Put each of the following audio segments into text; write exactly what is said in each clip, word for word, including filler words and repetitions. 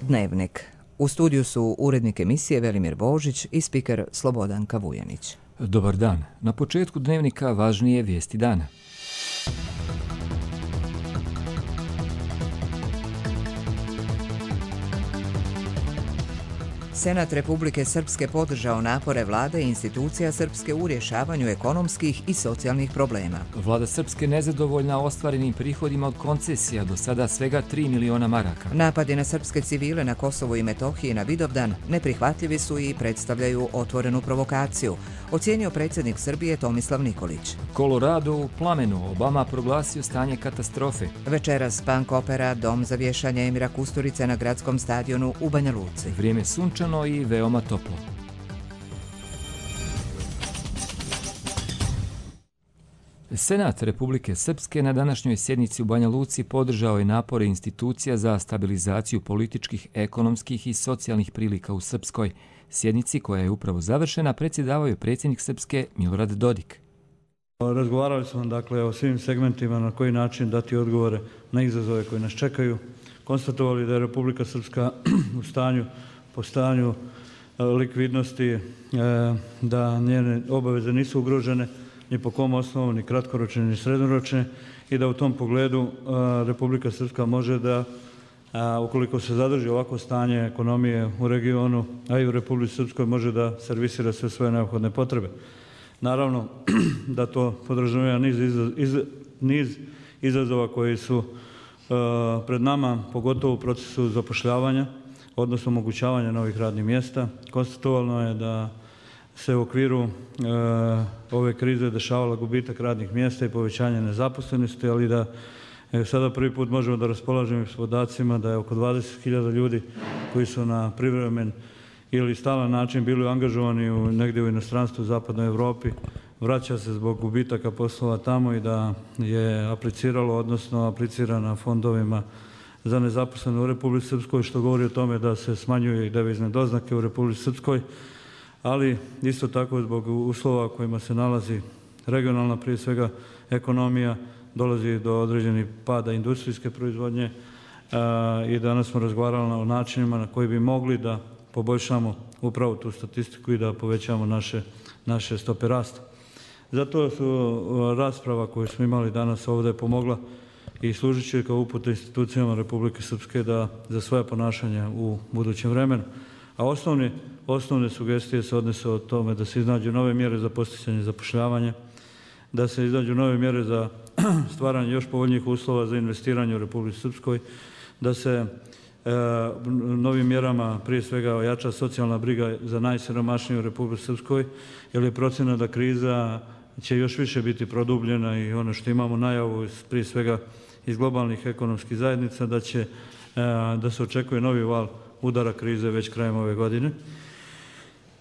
Dnevnik. U studiju su urednik emisije Velimir Božić i spiker Slobodanka Vujanić. Dobar dan. Na početku Dnevnika važnije vijesti dana. Senat Republike Srpske podržao napore vlade i institucija Srpske u rješavanju ekonomskih i socijalnih problema. Vlada Srpske nezadovoljna ostvarenim prihodima od koncesija, do sada svega tri miliona maraka. Napadi na srpske civile na Kosovu i Metohiji na Vidovdan neprihvatljivi su i predstavljaju otvorenu provokaciju, ocijenio predsjednik Srbije Tomislav Nikolić. Kolorado u plamenu, Obama proglasio stanje katastrofe. Večeras punk opera Dom za vješanje Emira Kusturice na gradskom stadionu u Banja Luci. Vrijeme sunčano i veoma toplo. Senat Republike Srpske na današnjoj sjednici u Banja Luci podržao je napore institucija za stabilizaciju političkih, ekonomskih i socijalnih prilika u Srpskoj. Sjednici koja je upravo završena predsjedavao je predsjednik Srpske Milorad Dodik. Razgovarali smo dakle o svim segmentima na koji način dati odgovore na izazove koji nas čekaju. Konstatovali da je Republika Srpska u stanju po stanju likvidnosti, da njene obaveze nisu ugrožene ni po kom osnovu, ni kratkoročne, ni srednjoročne i da u tom pogledu Republika Srpska može da, ukoliko se zadrži ovako stanje ekonomije u regionu, a i u Republici Srpskoj, može da servisira sve svoje neophodne potrebe. Naravno da to podrazumijeva niz, iz, niz izazova koji su pred nama, pogotovo u procesu zapošljavanja, odnosno omogućavanja novih radnih mjesta. Konstatovano je da se u okviru e, ove krize dešavala gubitak radnih mjesta i povećanje nezaposlenosti, ali da e, sada prvi put možemo da raspolažemo s podacima da je oko dvadeset hiljada ljudi koji su na privremen ili stalan način bili angažovani u, negdje u inostranstvu u zapadnoj Europi, vraća se zbog gubitaka poslova tamo i da je apliciralo, odnosno aplicira na fondovima za nezaposlene u Republici Srpskoj, što govori o tome da se smanjuju i devizne doznake u Republici Srpskoj, ali isto tako zbog uslova kojima se nalazi regionalna, prije svega ekonomija, dolazi do određenih pada industrijske proizvodnje i danas smo razgovarali o načinima na koji bi mogli da poboljšamo upravo tu statistiku i da povećamo naše, naše stope rasta. Zato su rasprava koju smo imali danas ovdje pomogla i služit će kao uputa institucijama Republike Srpske da za svoje ponašanje u budućem vremenu. A osnovne, osnovne sugestije se odnose o tome da se iznađu nove mjere za posticanje zapošljavanja, da se iznađu nove mjere za stvaranje još povoljnijih uslova za investiranje u Republici Srpskoj, da se e, novim mjerama prije svega ojača socijalna briga za najsiromašnije u Republici Srpskoj, jer je procjena da kriza će još više biti produbljena i ono što imamo najavu prije svega iz globalnih ekonomskih zajednica da će da se očekuje novi val udara krize već krajem ove godine.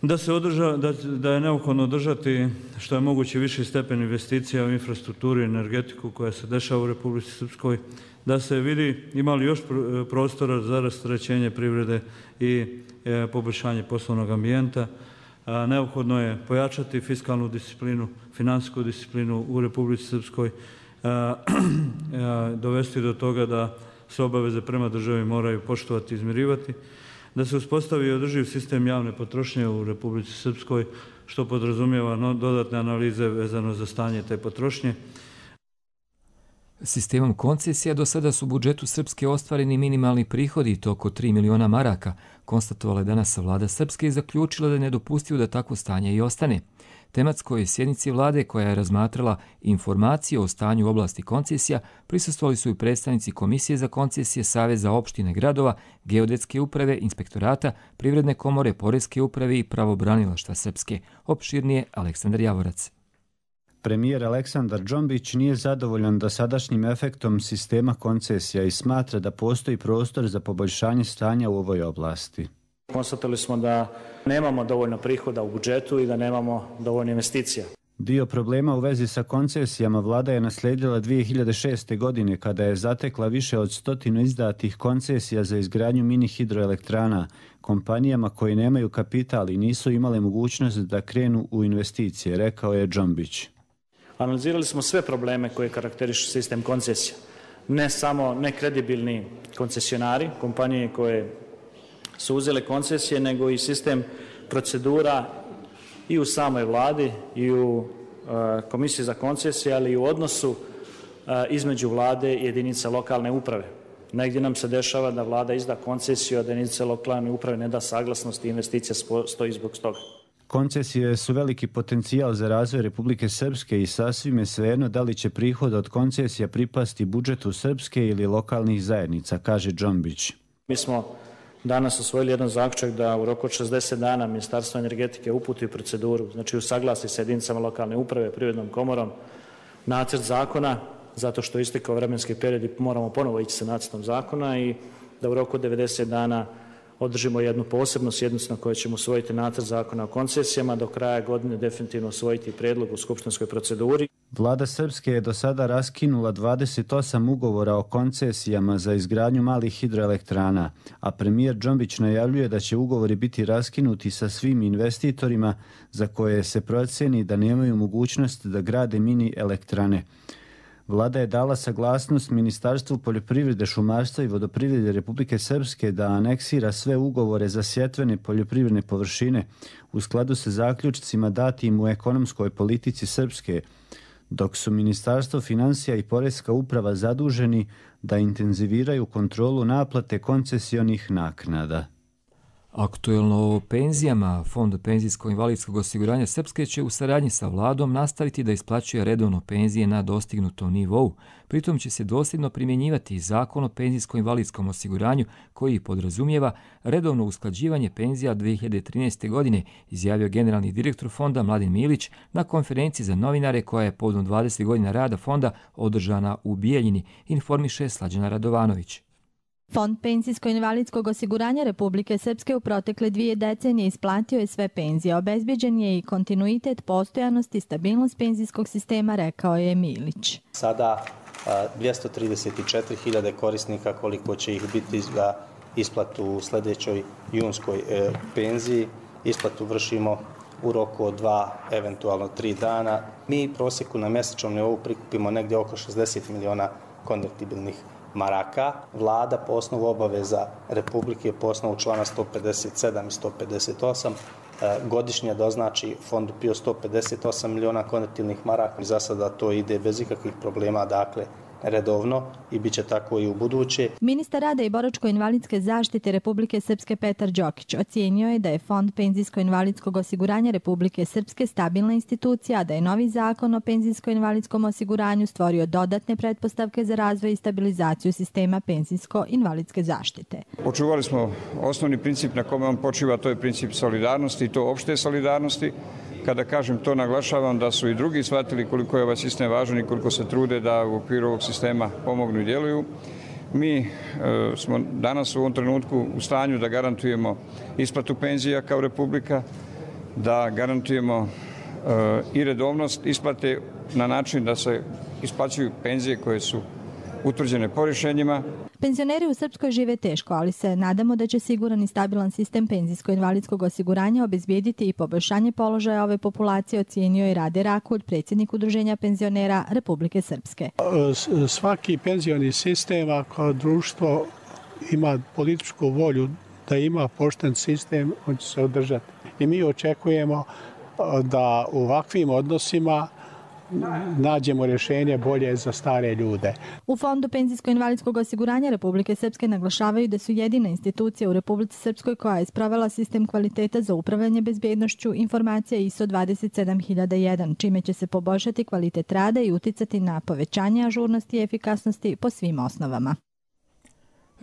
Da se održa, da, da je neophodno održati što je moguće viši stepen investicija u infrastrukturu i energetiku koja se dešava u Republici Srpskoj, da se vidi ima li još prostora za rasterećenje privrede i e, poboljšanje poslovnog ambijenta. A, neophodno je pojačati fiskalnu disciplinu, finansijsku disciplinu u Republici Srpskoj, a, a, dovesti do toga da se obaveze prema državi moraju poštovati i izmirivati, da se uspostavi održiv sistem javne potrošnje u Republici Srpskoj, što podrazumijeva no, dodatne analize vezano za stanje te potrošnje. Sistemom koncesija do sada su u budžetu Srpske ostvareni minimalni prihodi i to oko tri miliona maraka, konstatovala je danas vlada Srpske i zaključila da je nedopustivo da takvo stanje i ostane. Tematskoj sjednici vlade koja je razmatrala informacije o stanju u oblasti koncesija prisustvovali su i predstavnici Komisije za koncesije, Saveza opštine gradova, Geodetske uprave, Inspektorata, Privredne komore, Poreske uprave i Pravobranilaštva Srpske. Opširnije Aleksandar Javorac. Premijer Aleksandar Džombić nije zadovoljan dosadašnjim efektom sistema koncesija i smatra da postoji prostor za poboljšanje stanja u ovoj oblasti. Konstatovali smo da nemamo dovoljno prihoda u budžetu i da nemamo dovoljno investicija. Dio problema u vezi sa koncesijama vlada je naslijedila dvije hiljade šeste. godine kada je zatekla više od stotinu izdatih koncesija za izgradnju mini hidroelektrana kompanijama koji nemaju kapital i nisu imale mogućnost da krenu u investicije, rekao je Džombić. Analizirali smo sve probleme koje karakterišu sistem koncesija. Ne samo nekredibilni koncesionari, kompanije koje su uzele koncesije, nego i sistem procedura i u samoj vladi i u Komisiji za koncesije, ali i u odnosu između vlade i jedinica lokalne uprave. Negdje nam se dešava da vlada izda koncesiju, a da jedinice lokalne uprave ne da saglasnost i investicija stoji zbog toga. Koncesije su veliki potencijal za razvoj Republike Srpske i sasvim je svejedno da li će prihod od koncesija pripasti budžetu Srpske ili lokalnih zajednica, kaže Džombić. Mi smo danas usvojili jedan zaključak da u roku od šezdeset dana Ministarstvo energetike uputi proceduru, znači usaglasi sa jedinicama lokalne uprave, Privrednom komorom, nacrt zakona, zato što istekao vremenski period i moramo ponovo ići sa nacrtom zakona i da u roku od devedeset dana održimo jednu posebnu sjednicu na kojoj ćemo usvojiti nacrt zakona o koncesijama, do kraja godine definitivno usvojiti prijedlog u skupštinskoj proceduri. Vlada Srpske je do sada raskinula dvadeset osam ugovora o koncesijama za izgradnju malih hidroelektrana, a premijer Džombić najavljuje da će ugovori biti raskinuti sa svim investitorima za koje se proceni da nemaju mogućnost da grade mini elektrane. Vlada je dala saglasnost Ministarstvu poljoprivrede, šumarstva i vodoprivrede Republike Srpske da aneksira sve ugovore za sjetvene poljoprivredne površine u skladu sa zaključcima datim u ekonomskoj politici Srpske, dok su Ministarstvo finansija i Poreska uprava zaduženi da intenziviraju kontrolu naplate koncesionih naknada. Aktuelno o penzijama, Fond penzijsko-invalidskog osiguranja Srpske će u saradnji sa vladom nastaviti da isplaćuje redovno penzije na dostignutom nivou. Pritom će se dosljedno primjenjivati Zakon o penzijsko-invalidskom osiguranju koji podrazumijeva redovno usklađivanje penzija dvije hiljade trinaeste. godine, izjavio generalni direktor fonda Mladen Milić na konferenciji za novinare koja je povodom dvadeset godina rada fonda održana u Bijeljini, informiše Slađana Radovanović. Fond penzijsko-invalidskog osiguranja Republike Srpske u protekle dvije decenije isplatio je sve penzije. Obezbeđen je i kontinuitet, postojanost i stabilnost penzijskog sistema, rekao je Milić. Sada dvjesto trideset četiri hiljade korisnika, koliko će ih biti za isplatu u sljedećoj junskoj penziji. Isplatu vršimo u roku od dva, eventualno tri dana. Mi prosjeku na mjesečnom nivou prikupimo negdje oko šezdeset miliona konvertibilnih maraka. Vlada po osnovu obaveza Republike, po osnovu člana sto pedeset sedam i sto pedeset osam, godišnje doznači fondu P I O sto pedeset osam miliona konvertibilnih maraka. Za sada to ide bez ikakvih problema, dakle redovno i bit će tako i u buduće. Ministar rada i boračko-invalidske zaštite Republike Srpske Petar Đokić ocijenio je da je Fond penzijsko-invalidskog osiguranja Republike Srpske stabilna institucija, a da je novi zakon o penzijsko-invalidskom osiguranju stvorio dodatne pretpostavke za razvoj i stabilizaciju sistema penzijsko-invalidske zaštite. Očuvali smo osnovni princip na kome on počiva, to je princip solidarnosti i to opšte solidarnosti. Kada kažem to, naglašavam da su i drugi shvatili koliko je ovaj sistem važan i koliko se trude da u okviru ovog sistema pomognu i djeluju. Mi e, smo danas u ovom trenutku u stanju da garantujemo isplatu penzija kao Republika, da garantujemo e, i redovnost isplate na način da se isplaćuju penzije koje su utvrđene po rješenjima. Penzioneri u Srpskoj žive teško, ali se nadamo da će siguran i stabilan sistem penzijsko-invalidskog osiguranja obezbijediti i poboljšanje položaja ove populacije, ocijenio je Rade Rakulj, predsjednik Udruženja penzionera Republike Srpske. Svaki penzioni sistem, ako društvo ima političku volju da ima pošten sistem, on će se održati. I mi očekujemo da u ovakvim odnosima nađemo rješenje bolje za stare ljude. U Fondu penzijsko-invalidskog osiguranja Republike Srpske naglašavaju da su jedina institucija u Republici Srpskoj koja je sprovela sistem kvaliteta za upravljanje bezbednošću informacija I S O dvadeset sedam hiljada jedan, čime će se poboljšati kvalitet rada i uticati na povećanje ažurnosti i efikasnosti po svim osnovama.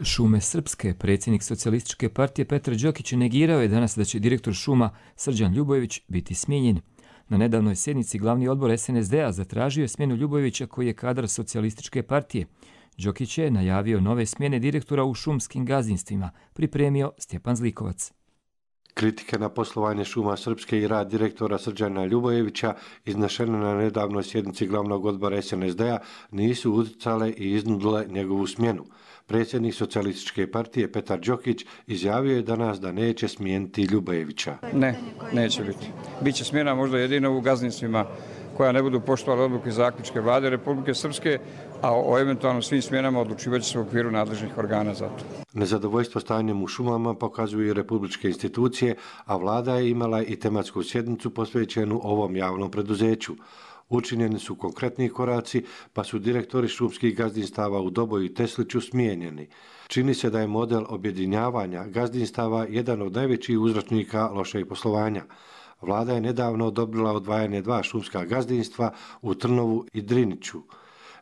Šume Srpske, predsjednik Socijalističke partije Petar Đokić negirao je danas da će direktor šuma Srđan Ljubojević biti smijenjen. Na nedavnoj sjednici glavni odbor S N S D-a zatražio je smjenu Ljubojevića koji je kadar Socijalističke partije. Đokić je najavio nove smjene direktora u šumskim gazdinstvima, pripremio Stjepan Zlikovac. Kritike na poslovanje šuma Srpske i rad direktora Srđana Ljubojevića iznešene na nedavnoj sjednici glavnog odbora S N S D-a nisu utjecale i iznudile njegovu smjenu. Predsjednik Socijalističke partije Petar Đokić izjavio je danas da neće smijeniti Ljubojevića. Ne, neće biti. Biće smjena možda jedino u gazdinstvima koja ne budu poštovala odluke i zaključke Vlade Republike Srpske, a o eventualno svim smjenama odlučivat će se u okviru nadležnih organa za to. Nezadovoljstvo stanjem u šumama pokazuju i republičke institucije, a vlada je imala i tematsku sjednicu posvećenu ovom javnom preduzeću. Učinjeni su konkretni koraci, pa su direktori šumskih gazdinstava u Doboju i Tesliću smijenjeni. Čini se da je model objedinjavanja gazdinstava jedan od najvećih uzročnika lošeg poslovanja. Vlada je nedavno odobrila odvajanje dva šumska gazdinstva u Trnovu i Driniću.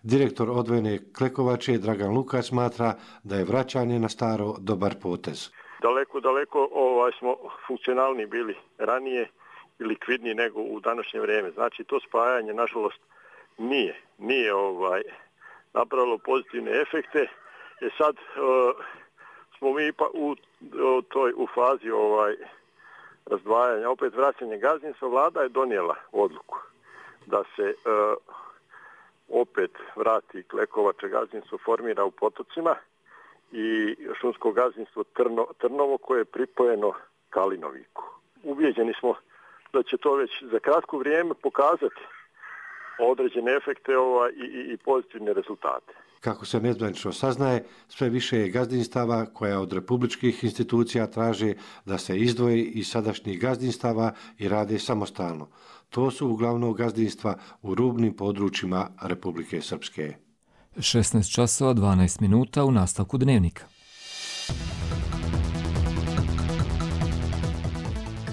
Direktor odvojene Klekovače Dragan Lukač smatra da je vraćanje na staro dobar potez. Daleko, daleko ovaj, smo funkcionalni bili ranije i likvidniji nego u današnje vrijeme. Znači to spajanje nažalost nije, nije ovaj, napravilo pozitivne efekte. E sad uh, smo mi pa u, u toj u fazi ovaj, razdvajanja, opet vraćanje gazdinstva. Vlada je donijela odluku da se uh, opet vrati Klekovače gazdinstvo, formira u Potocima i šumsko gazdinstvo Trno, Trnovo koje je pripojeno Kalinoviku. Ubijeđeni smo da će to već za kratko vrijeme pokazati određene efekte ovaj, i, i, i pozitivne rezultate. Kako se nezvanično saznaje, sve više je gazdinstava koja od republičkih institucija traže da se izdvoji iz sadašnjih gazdinstava i rade samostalno. To su uglavnom gazdinstva u rubnim područjima Republike Srpske. šesnaest časova dvanaest minuta u nastavku dnevnika.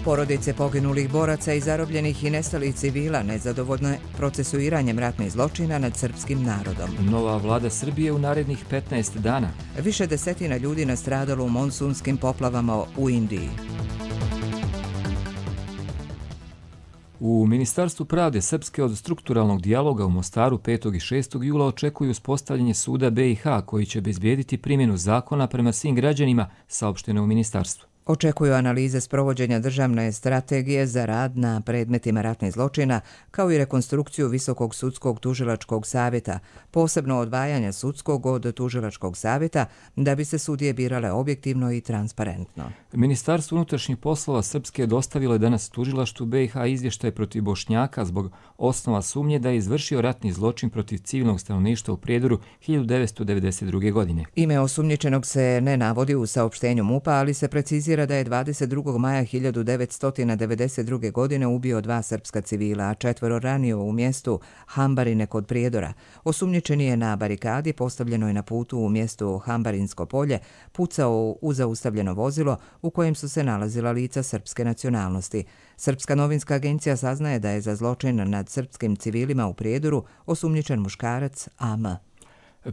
Porodice poginulih boraca i zarobljenih i nestalih civila nezadovoljne procesuiranjem ratnih zločina nad srpskim narodom. Nova vlada Srbije u narednih petnaest dana. Više desetina ljudi nastradalo u monsunskim poplavama u Indiji. U Ministarstvu pravde Srpske od strukturalnog dijaloga u Mostaru petog i šestog jula očekuju uspostavljanje suda B i H koji će bezbjediti primjenu zakona prema svim građanima, saopšteno u ministarstvu. Očekuju analize sprovođenja državne strategije za rad na predmetima ratnih zločina, kao i rekonstrukciju Visokog sudskog tužilačkog savjeta, posebno odvajanja sudskog od tužilačkog savjeta, da bi se sudije birale objektivno i transparentno. Ministarstvo unutrašnjih poslova Srpske dostavilo je danas tužilaštvu B i H izvještaj protiv Bošnjaka zbog osnova sumnje da je izvršio ratni zločin protiv civilnog stanovništva u Prijedoru hiljadu devetsto devedeset druge. godine. Ime osumnjičenog se ne navodi u saopštenju MUP-a, ali se precizira da je dvadeset drugog maja hiljadu devetsto devedeset druge. godine ubio dva srpska civila, a četvoro ranio u mjestu Hambarine kod Prijedora. Osumnjičeni je na barikadi postavljenoj na putu u mjestu Hambarinsko polje pucao u zaustavljeno vozilo u kojem su se nalazila lica srpske nacionalnosti. Srpska novinska agencija saznaje da je za zločin nad srpskim civilima u Prijedoru osumnjičen muškarac A M.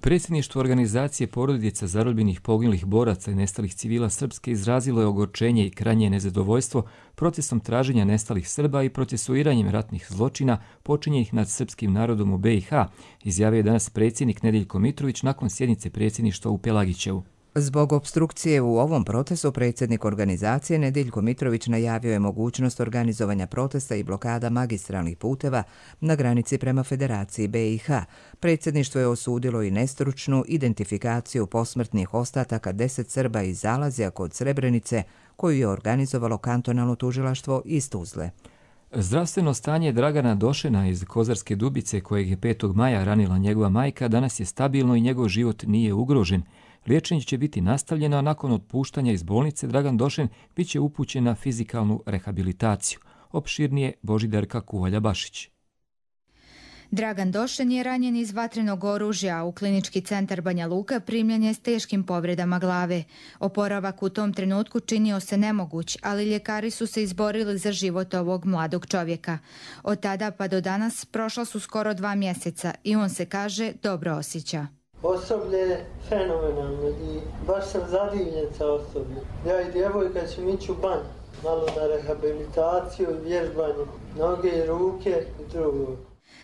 Predsjedništvo organizacije porodica zarobljenih poginulih boraca i nestalih civila Srpske izrazilo je ogorčenje i krajnje nezadovoljstvo procesom traženja nestalih Srba i procesuiranjem ratnih zločina počinjenih nad srpskim narodom u B i H, izjavio je danas predsjednik Nedeljko Mitrović nakon sjednice predsjedništva u Pelagićevu. Zbog opstrukcije u ovom procesu predsjednik organizacije Nedeljko Mitrović najavio je mogućnost organizovanja protesta i blokada magistralnih puteva na granici prema Federaciji B i H. Predsjedništvo je osudilo i nestručnu identifikaciju posmrtnih ostataka deset Srba iz Zalazja kod Srebrenice, koju je organizovalo kantonalno tužilaštvo iz Tuzle. Zdravstveno stanje Dragana Došena iz Kozarske Dubice, kojeg je petog maja ranila njegova majka, danas je stabilno i njegov život nije ugrožen. Liječenje će biti nastavljeno, a nakon otpuštanja iz bolnice Dragan Došen bit će upućen na fizikalnu rehabilitaciju. Opširnije Božidarka Kuvalja-Bašić. Dragan Došen je ranjen iz vatrenog oružja. U klinički centar Banja Luka primljen je s teškim povredama glave. Oporavak u tom trenutku činio se nemoguć, ali ljekari su se izborili za život ovog mladog čovjeka. Od tada pa do danas prošla su skoro dva mjeseca i on se, kaže, dobro osjeća. Osoblje je fenomenalno i baš sam zadivljen sa osobljem. Ja i djevojka ćemo ići u banju, malo na rehabilitaciju i vježbanje, noge i ruke i drugo.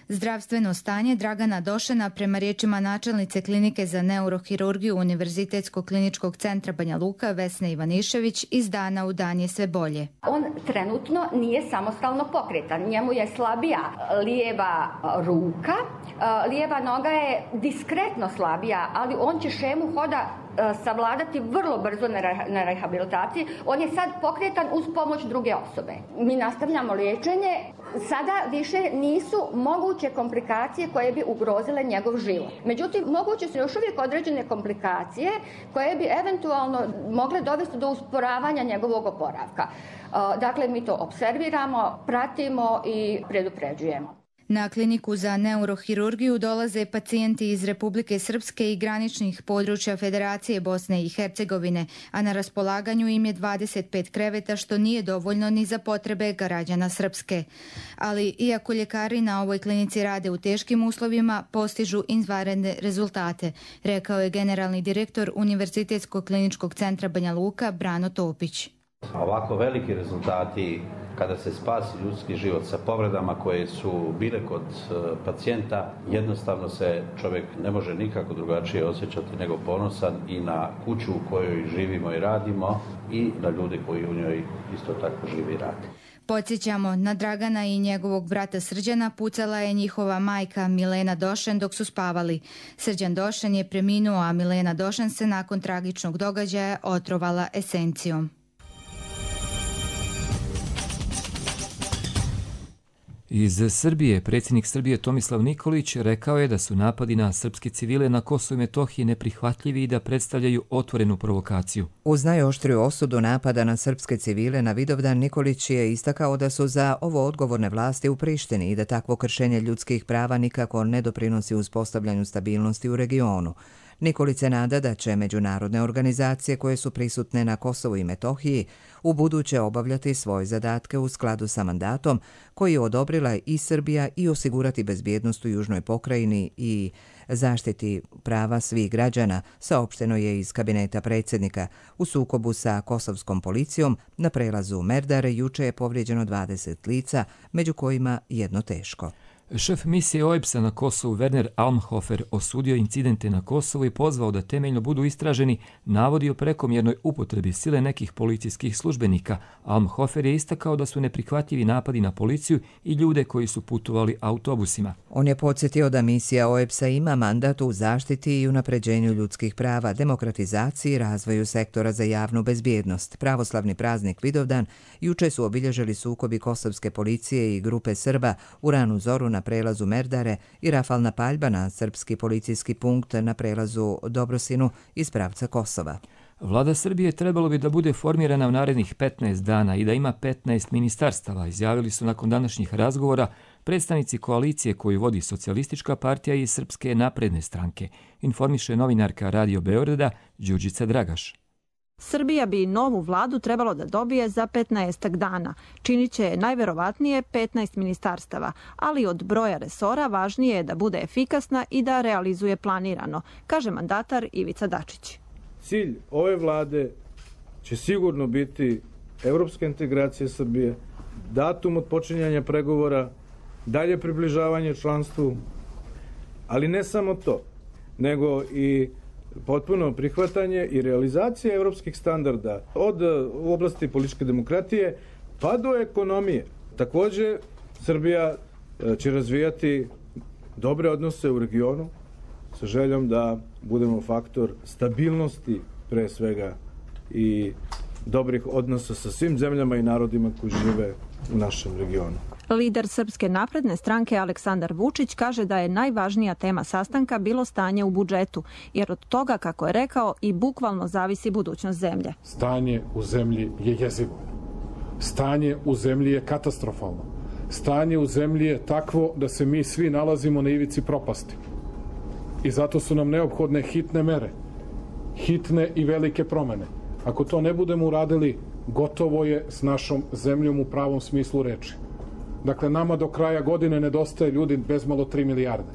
Zdravstveno stanje Dragana Došena, prema riječima načelnice klinike za neurohirurgiju Univerzitetskog kliničkog centra Banja Luka Vesne Ivanišević, iz dana u dan je sve bolje. On trenutno nije samostalno pokretan. Njemu je slabija lijeva ruka, lijeva noga je diskretno slabija, ali on će šemu hoda savladati vrlo brzo na rehabilitaciji. On je sad pokretan uz pomoć druge osobe. Mi nastavljamo liječenje. Sada više nisu moguće komplikacije koje bi ugrozile njegov život. Međutim, moguće su još uvijek određene komplikacije koje bi eventualno mogle dovesti do usporavanja njegovog oporavka. Dakle, mi to observiramo, pratimo i predupređujemo. Na kliniku za neurohirurgiju dolaze pacijenti iz Republike Srpske i graničnih područja Federacije Bosne i Hercegovine, a na raspolaganju im je dvadeset pet kreveta, što nije dovoljno ni za potrebe građana Srpske. Ali, iako ljekari na ovoj klinici rade u teškim uslovima, postižu izvanredne rezultate, rekao je generalni direktor Univerzitetskog kliničkog centra Banja Luka Brano Topić. Ovako veliki rezultati kada se spasi ljudski život sa povredama koje su bile kod pacijenta, jednostavno se čovjek ne može nikako drugačije osjećati nego ponosan i na kuću u kojoj živimo i radimo i na ljude koji u njoj isto tako živi i radi. Podsjećamo, na Dragana i njegovog brata Srđana pucala je njihova majka Milena Došen dok su spavali. Srđan Došen je preminuo, a Milena Došen se nakon tragičnog događaja otrovala esencijom. Iz Srbije predsjednik Srbije Tomislav Nikolić rekao je da su napadi na srpske civile na Kosovu i Metohiji neprihvatljivi i da predstavljaju otvorenu provokaciju. Uz najoštriju osudu napada na srpske civile na Vidovdan, Nikolić je istakao da su za ovo odgovorne vlasti u Prištini i da takvo kršenje ljudskih prava nikako ne doprinosi uspostavljanju stabilnosti u regionu. Nikolić se nada da će međunarodne organizacije koje su prisutne na Kosovu i Metohiji u buduće obavljati svoje zadatke u skladu sa mandatom koji je odobrila i Srbija i osigurati bezbjednost u južnoj pokrajini i zaštiti prava svih građana, saopšteno je iz kabineta predsjednika. U sukobu sa kosovskom policijom na prelazu Merdare juče je povrijeđeno dvadeset lica, među kojima jedno teško. Šef misije O E B S-a na Kosovu Werner Almhofer osudio incidente na Kosovu i pozvao da temeljno budu istraženi navodi o prekomjernoj upotrebi sile nekih policijskih službenika. Almhofer je istakao da su neprihvatljivi napadi na policiju i ljude koji su putovali autobusima. On je podsjetio da misija O E B S-a ima mandat u zaštiti i unapređenju ljudskih prava, demokratizaciji i razvoju sektora za javnu bezbjednost. Pravoslavni praznik Vidovdan juče su obilježili sukobi kosovske policije i grupe Srba u ranu zoru na prelazu Merdare i rafalna paljba na srpski policijski punkt na prelazu Dobrosinu iz pravca Kosova. Vlada Srbije trebalo bi da bude formirana u narednih petnaest dana i da ima petnaest ministarstava, izjavili su nakon današnjih razgovora predstavnici koalicije koju vodi Socijalistička partija i Srpske napredne stranke, informiše novinarka Radio Beograda Đurđica Dragaš. Srbija bi novu vladu trebalo da dobije za petnaestak dana. Činit će najverovatnije petnaest ministarstava, ali od broja resora važnije je da bude efikasna i da realizuje planirano, kaže mandatar Ivica Dačić. Cilj ove vlade će sigurno biti evropska integracija Srbije, datum od počinjanja pregovora, dalje približavanje članstvu, ali ne samo to, nego i potpuno prihvatanje i realizacija evropskih standarda od u oblasti političke demokratije pa do ekonomije. Također, Srbija će razvijati dobre odnose u regionu sa željom da budemo faktor stabilnosti pre svega i dobrih odnosa sa svim zemljama i narodima koji žive u našem regionu. Lider Srpske napredne stranke Aleksandar Vučić kaže da je najvažnija tema sastanka bilo stanje u budžetu, jer od toga, kako je rekao, i bukvalno zavisi budućnost zemlje. Stanje u zemlji je jezivo. Stanje u zemlji je katastrofalno. Stanje u zemlji je takvo da se mi svi nalazimo na ivici propasti. I zato su nam neophodne hitne mere, hitne i velike promene. Ako to ne budemo uradili, gotovo je s našom zemljom u pravom smislu reči. Dakle, nama do kraja godine nedostaje ljudi bezmalo tri milijarde.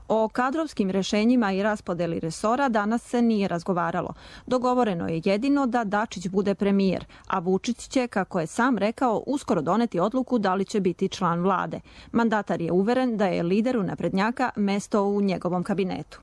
O kadrovskim rešenjima i raspodeli resora danas se nije razgovaralo. Dogovoreno je jedino da Dačić bude premijer, a Vučić će, kako je sam rekao, uskoro doneti odluku da li će biti član vlade. Mandatar je uveren da je lideru naprednjaka mesto u njegovom kabinetu.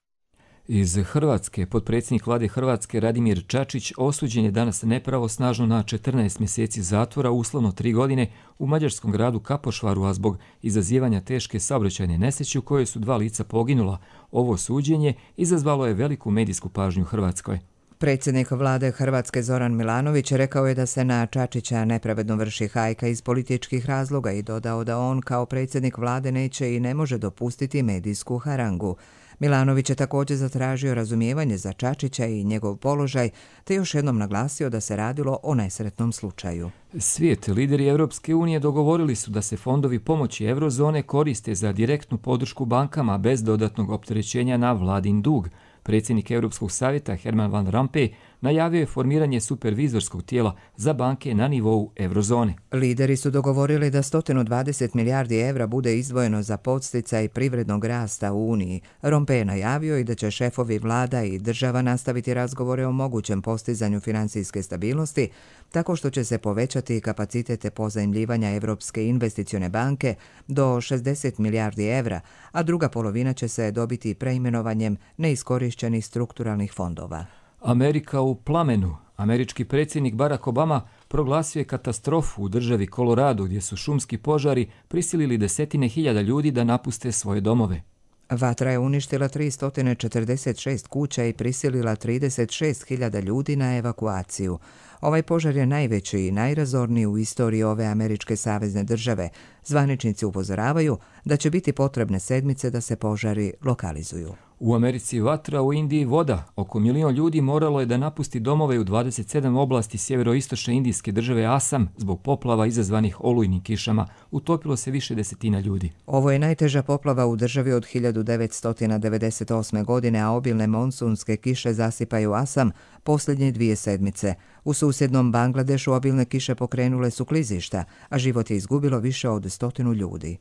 Iz Hrvatske, potpredsjednik vlade Hrvatske Radimir Čačić osuđen je danas nepravosnažno na četrnaest mjeseci zatvora, uslovno tri godine, u mađarskom gradu Kapošvaru, a zbog izazivanja teške saobraćajne nesreće u kojoj su dva lica poginula. Ovo suđenje izazvalo je veliku medijsku pažnju u Hrvatskoj. Predsjednik vlade Hrvatske Zoran Milanović rekao je da se na Čačića nepravedno vrši hajka iz političkih razloga i dodao da on kao predsjednik vlade neće i ne može dopustiti medijsku harangu. Milanović je također zatražio razumijevanje za Čačića i njegov položaj, te još jednom naglasio da se radilo o nesretnom slučaju. Svijet, lideri Europske unije dogovorili su da se fondovi pomoći eurozone koriste za direktnu podršku bankama bez dodatnog opterećenja na vladin dug. Predsjednik Europskog savjeta Herman Van Rompuy najavio je formiranje supervizorskog tijela za banke na nivou eurozone. Lideri su dogovorili da sto dvadeset milijardi evra bude izdvojeno za podsticaj privrednog rasta u Uniji. Rompuy je najavio i da će šefovi vlada i država nastaviti razgovore o mogućem postizanju financijske stabilnosti, tako što će se povećati kapacitete pozajmljivanja Europske investicione banke do šezdeset milijardi evra, a druga polovina će se dobiti preimenovanjem neiskorišćenih strukturalnih fondova. Amerika u plamenu. Američki predsjednik Barack Obama proglasio je katastrofu u državi Colorado gdje su šumski požari prisilili desetine hiljada ljudi da napuste svoje domove. Vatra je uništila tristo četrdeset šest kuća i prisilila trideset šest hiljada ljudi na evakuaciju. Ovaj požar je najveći i najrazorniji u istoriji ove američke savezne države. Zvaničnici upozoravaju da će biti potrebne sedmice da se požari lokalizuju. U Americi vatra, u Indiji voda. Oko milion ljudi moralo je da napusti domove u dvadeset sedam oblasti sjeveroistočne indijske države Asam zbog poplava izazvanih olujnim kišama. Utopilo se više desetina ljudi. Ovo je najteža poplava u državi od hiljadu devetsto devedeset osme. godine, a obilne monsunske kiše zasipaju Asam posljednje dvije sedmice. U susjednom Bangladešu obilne kiše pokrenule su klizišta, a život je izgubilo više od stotinu ljudi.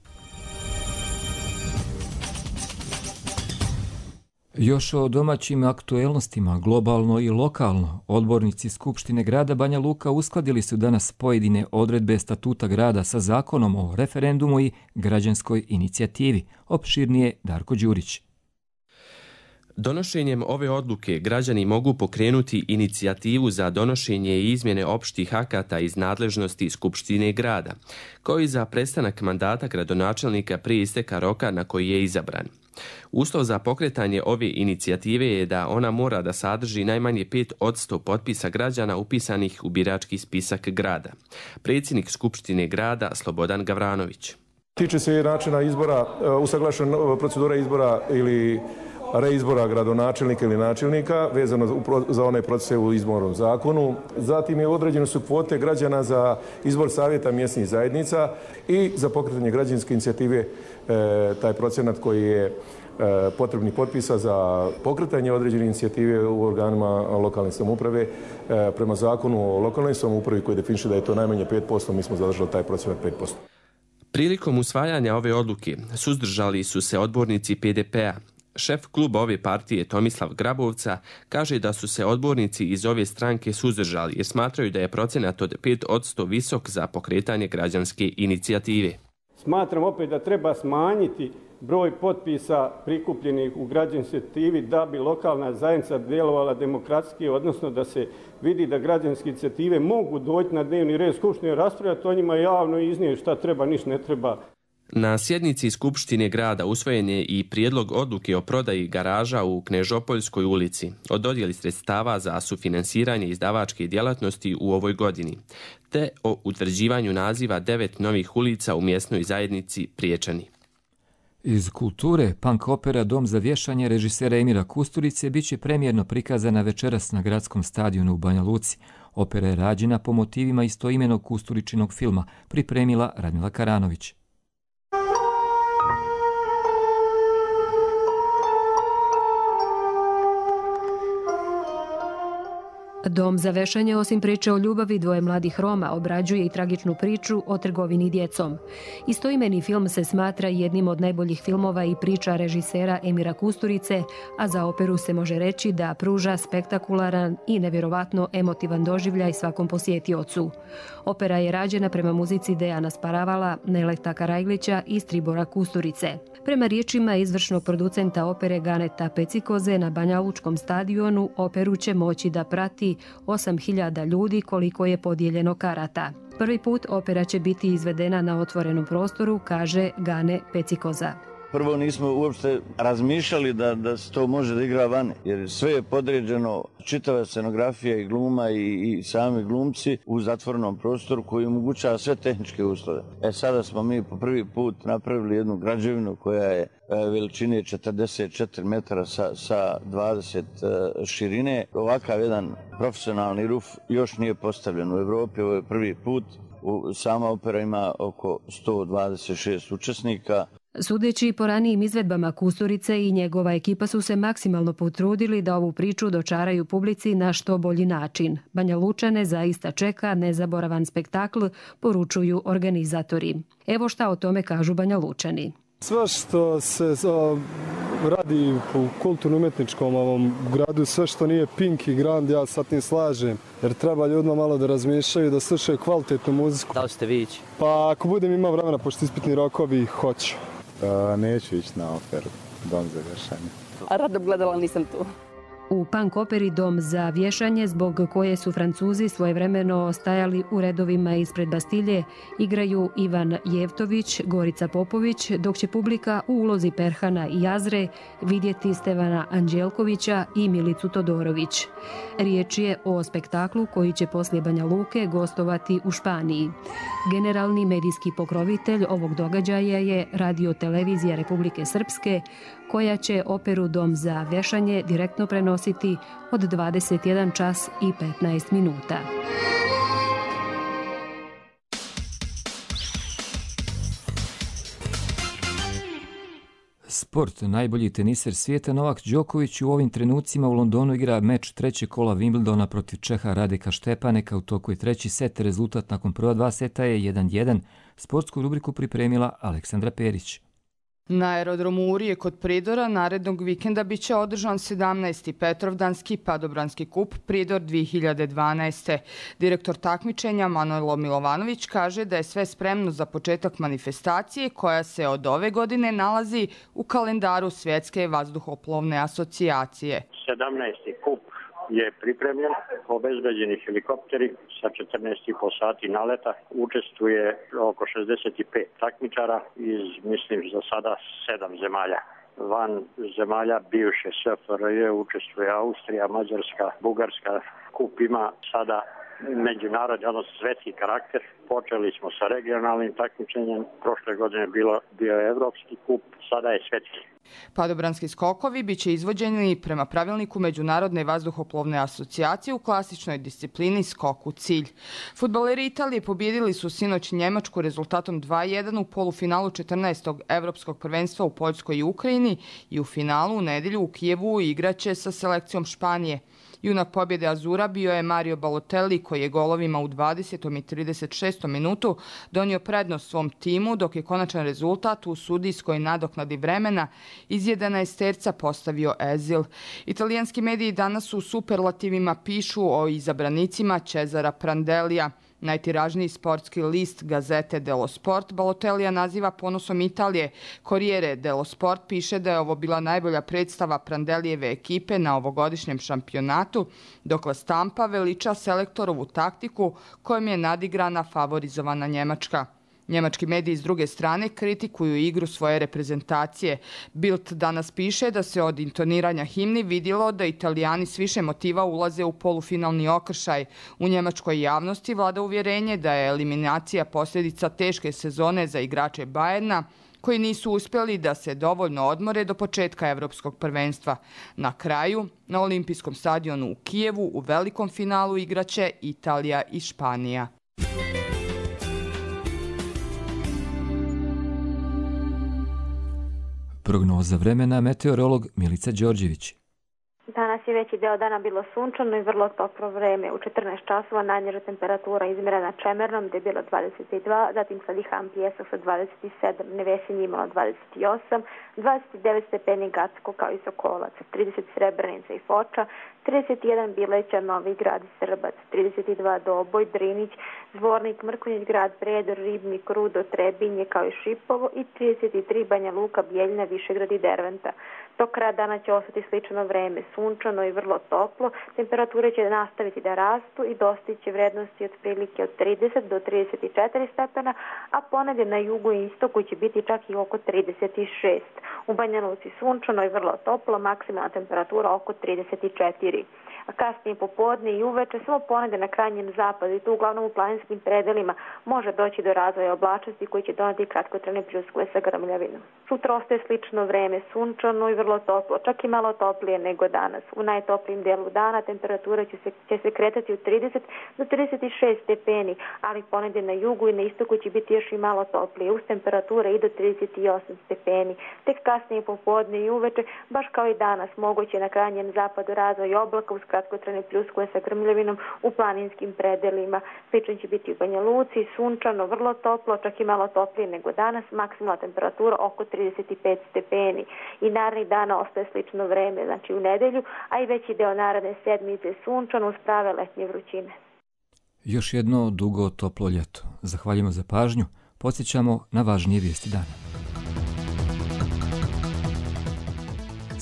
Još o domaćim aktuelnostima, globalno i lokalno, odbornici Skupštine grada Banja Luka uskladili su danas pojedine odredbe statuta grada sa zakonom o referendumu i građanskoj inicijativi. Opširnije Darko Đurić. Donošenjem ove odluke građani mogu pokrenuti inicijativu za donošenje i izmjene opštih akata iz nadležnosti Skupštine grada, kao i za prestanak mandata gradonačelnika prije isteka roka na koji je izabran. Uslov za pokretanje ove inicijative je da ona mora da sadrži najmanje pet posto potpisa građana upisanih u birački spisak grada. Predsjednik Skupštine grada Slobodan Gavranović. Tiče se načina izbora, usaglašena procedura izbora ili reizbora gradonačelnika ili načelnika vezano za one procese u izbornom zakonu. Zatim je određene su kvote građana za izbor savjeta mjesnih zajednica i za pokretanje građanske inicijative taj procenat koji je potrebnih potpisa za pokretanje određene inicijative u organima lokalne samouprave prema zakonu o lokalnoj samoupravi koji definiše da je to najmanje pet posto, mi smo zadržali taj procenat pet posto. Prilikom usvajanja ove odluke suzdržali su se odbornici P D P-a. Šef kluba ove partije Tomislav Grabovca kaže da su se odbornici iz ove stranke suzdržali jer smatraju da je procenat od pet posto visok za pokretanje građanske inicijative. Smatram opet da treba smanjiti broj potpisa prikupljenih u građanskoj inicijativi da bi lokalna zajednica djelovala demokratski, odnosno da se vidi da građanske inicijative mogu doći na dnevni red Skupštine, raspravljati o njima javno i iznijeti šta treba, ništa ne treba. Na sjednici Skupštine grada usvojen je i prijedlog odluke o prodaji garaža u Knežopoljskoj ulici, o dodjeli sredstava za sufinansiranje izdavačke djelatnosti u ovoj godini, te o utvrđivanju naziva devet novih ulica u mjesnoj zajednici Priječani. Iz kulture, punk opera Dom za vješanje režisera Emira Kusturice bit će premijerno prikazana večeras na gradskom stadionu u Banja Luci. Opera je rađena po motivima istoimenog Kusturičinog filma, pripremila Radmila Karanović. Dom za vešanje, osim priče o ljubavi dvoje mladih Roma, obrađuje i tragičnu priču o trgovini djecom. Istoimeni film se smatra jednim od najboljih filmova i priča režisera Emira Kusturice, a za operu se može reći da pruža spektakularan i nevjerovatno emotivan doživljaj svakom posjetiocu. Opera je rađena prema muzici Dejana Sparavala, Neleta Karajglića i Stribora Kusturice. Prema riječima izvršnog producenta opere Ganeta Pecikoze, na Banja Lučkom stadionu operu će moći da prati osam hiljada ljudi koliko je podijeljeno karata. Prvi put opera će biti izvedena na otvorenom prostoru, kaže Gane Pecikoza. prvo nismo uopšte razmišljali da, da se to može da igra vani, jer sve je podređeno, čitava scenografija i gluma i, i sami glumci u zatvorenom prostoru koji omogućava sve tehničke uslove. E sada smo mi po prvi put napravili jednu građevinu koja je veličine četrdeset četiri metara sa, sa dvadeset širine. Ovakav jedan profesionalni ruf još nije postavljen u Evropi, ovo je prvi put. Sama opera ima oko sto dvadeset šest učesnika. Sudeći po ranijim izvedbama Kusturice i njegova ekipa su se maksimalno potrudili da ovu priču dočaraju publici na što bolji način. Banja Lučane zaista čeka nezaboravan spektakl, poručuju organizatori. Evo šta o tome kažu Banja Lučani. Sve što se radi u kulturno-umetničkom ovom gradu, sve što nije Pink i Grand, ja sa tim slažem. Jer treba ljudima malo da razmišljaju, da slušaju kvalitetnu muziku. Da li ćete vi ići? Pa ako budem imao vremena, pošto ispitni rokovi, hoću. Uh, neću ići na operu, Dom za vješanje. A rado gledala, nisam tu. U punk operi Dom za vješanje, zbog koje su Francuzi svojevremeno stajali u redovima ispred Bastilje, igraju Ivan Jevtović, Gorica Popović, dok će publika u ulozi Perhana i Jazre vidjeti Stevana Anđelkovića i Milicu Todorović. Riječ je o spektaklu koji će poslije Banja Luke gostovati u Španiji. Generalni medijski pokrovitelj ovog događaja je Radio-televizija Republike Srpske, koja će operu Dom za vješanje direktno prenositi od dvadeset jedan čas i petnaest minuta. Sport. Najbolji teniser svijeta Novak Đoković u ovim trenucima u Londonu igra meč trećeg kola Wimbledona protiv Čeha Radeka Štepaneka. U toku je treći set. Rezultat nakon prva dva seta je jedan jedan. Sportsku rubriku pripremila Aleksandra Perić. Na aerodromu Urije kod Pridora narednog vikenda biće održan sedamnaesti Petrovdanski padobranski kup Pridor dvije hiljade dvanaeste. Direktor takmičenja Manojlo Milovanović kaže da je sve spremno za početak manifestacije koja se od ove godine nalazi u kalendaru Svjetske vazduhoplovne asocijacije. sedamnaesti kup je pripremljen, obezbeđeni helikopteri sa četrnaest i po sati naleta. Učestvuje oko šezdeset pet takmičara iz, mislim, za sada sedam zemalja. Van zemalja bivše S F R J učestvuje Austrija, Mađarska, Bugarska. Kup ima sada međunarodni, odnosno svetski karakter. Počeli smo sa regionalnim takmičenjem, prošle godine bilo, bio je evropski kup, sada je svetski. Padobranski skokovi biće izvođeni prema pravilniku Međunarodne vazduhoplovne asocijacije u klasičnoj disciplini skok u cilj. Fudbaleri Italije pobjedili su sinoć Njemačku rezultatom dva jedan u polufinalu četrnaestog evropskog prvenstva u Poljskoj i Ukrajini i u finalu u nedjelju u Kijevu igraće sa selekcijom Španije. Junak pobjede Azura bio je Mario Balotelli koji je golovima u dvadesetom i trideset šestom minutu donio prednost svom timu, dok je konačan rezultat u sudijskoj nadoknadi vremena iz jedanaesterca postavio Ezil. Italijanski mediji danas u superlativima pišu o izabranicima Cesara Prandelija. Najtiražniji sportski list Gazete dello Sport Balotellija naziva ponosom Italije. Corriere dello Sport piše da je ovo bila najbolja predstava Prandelijeve ekipe na ovogodišnjem šampionatu, dok La Stampa veliča selektorovu taktiku kojom je nadigrana favorizovana Njemačka. Njemački mediji s druge strane kritikuju igru svoje reprezentacije. Bild danas piše da se od intoniranja himni vidjelo da Italijani s više motiva ulaze u polufinalni okršaj. U njemačkoj javnosti vlada uvjerenje da je eliminacija posljedica teške sezone za igrače Bayerna, koji nisu uspjeli da se dovoljno odmore do početka evropskog prvenstva. Na kraju, na olimpijskom stadionu u Kijevu u velikom finalu igraće Italija i Španija. Prognoza vremena, meteorolog Milica Đorđević. Danas je veći deo dana bilo sunčano i vrlo toplo vreme. U četrnaest časova najniža temperatura izmjerena Čemernom gdje je bilo dvadeset dva, zatim Sadihan Pjesak sa dvadeset sedam, Nevesinje imalo dvadeset osam, dvadeset devet stepeni Gacko kao i Sokolac, trideset Srebrenica i Foča, trideset jedan Bileća, Novi Grad i Srbac, trideset dva Doboj, Drinić, Zvornik, Mrkonjić Grad, Predor, Ribnik, Rudo, Trebinje kao i Šipovo i trideset tri Banja Luka, Bijeljina, Višegrad i Derventa. Do kraja dana će ostati slično vreme, sunčano sunčano i vrlo toplo. Temperature će nastaviti da rastu i dostići vrednosti otprilike od trideset do trideset četiri stepena, a ponedje na jugu i istoku će biti čak i oko trideset šest. U Banja Luci sunčano i vrlo toplo, maksimalna temperatura oko trideset četiri. A kasnije popodne i uveče, samo ponedje na krajnjem zapadu i tu uglavnom u planinskim predelima može doći do razvoja oblačnosti koji će doneti kratkotrajne pljuskove sa grmljavinom. Sutra ostaje slično vreme, sunčano i vrlo toplo, čak i malo toplije nego danas. U najtoplijim delu dana temperatura će se, će se kretati od trideset do trideset šest stepeni, ali ponedje na jugu i na istoku će biti još i malo toplije, uz temperature i do trideset osam stepeni. Tek kasnije popodne i uveče, baš kao i danas, moguće na krajnjem zapadu razvoj oblaka uz kratkotrajne pljuskove sa grmljavinom u planinskim predelima. Slično će biti u Banja Luci, sunčano, vrlo toplo, čak i malo toplije nego danas, maksimalna temperatura oko trideset pet stepeni. I narednih dana ostaje slično vreme, znači u nedelju, a i veći deo naredne sedmice sunčano uz prave letnje vrućine. Još jedno dugo toplo ljeto. Zahvaljujemo za pažnju. Podsjećamo na važnije vijesti dana.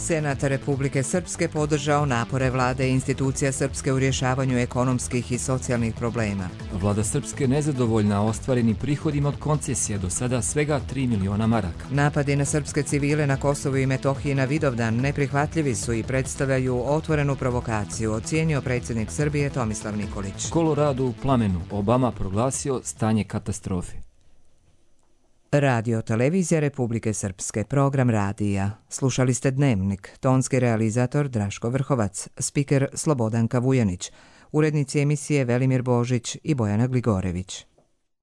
Senat Republike Srpske podržao napore vlade i institucija Srpske u rješavanju ekonomskih i socijalnih problema. Vlada Srpske nezadovoljna ostvarenim prihodima od koncesije, do sada svega tri miliona maraka. Napadi na srpske civile na Kosovu i Metohiji na Vidovdan neprihvatljivi su i predstavljaju otvorenu provokaciju, ocijenio predsjednik Srbije Tomislav Nikolić. Kolorado u plamenu, Obama proglasio stanje katastrofe. Radio Televizija Republike Srpske, program radija. Slušali ste Dnevnik, tonski realizator Draško Vrhovac, spiker Slobodanka Vujanić, urednici emisije Velimir Božić i Bojana Gligorević.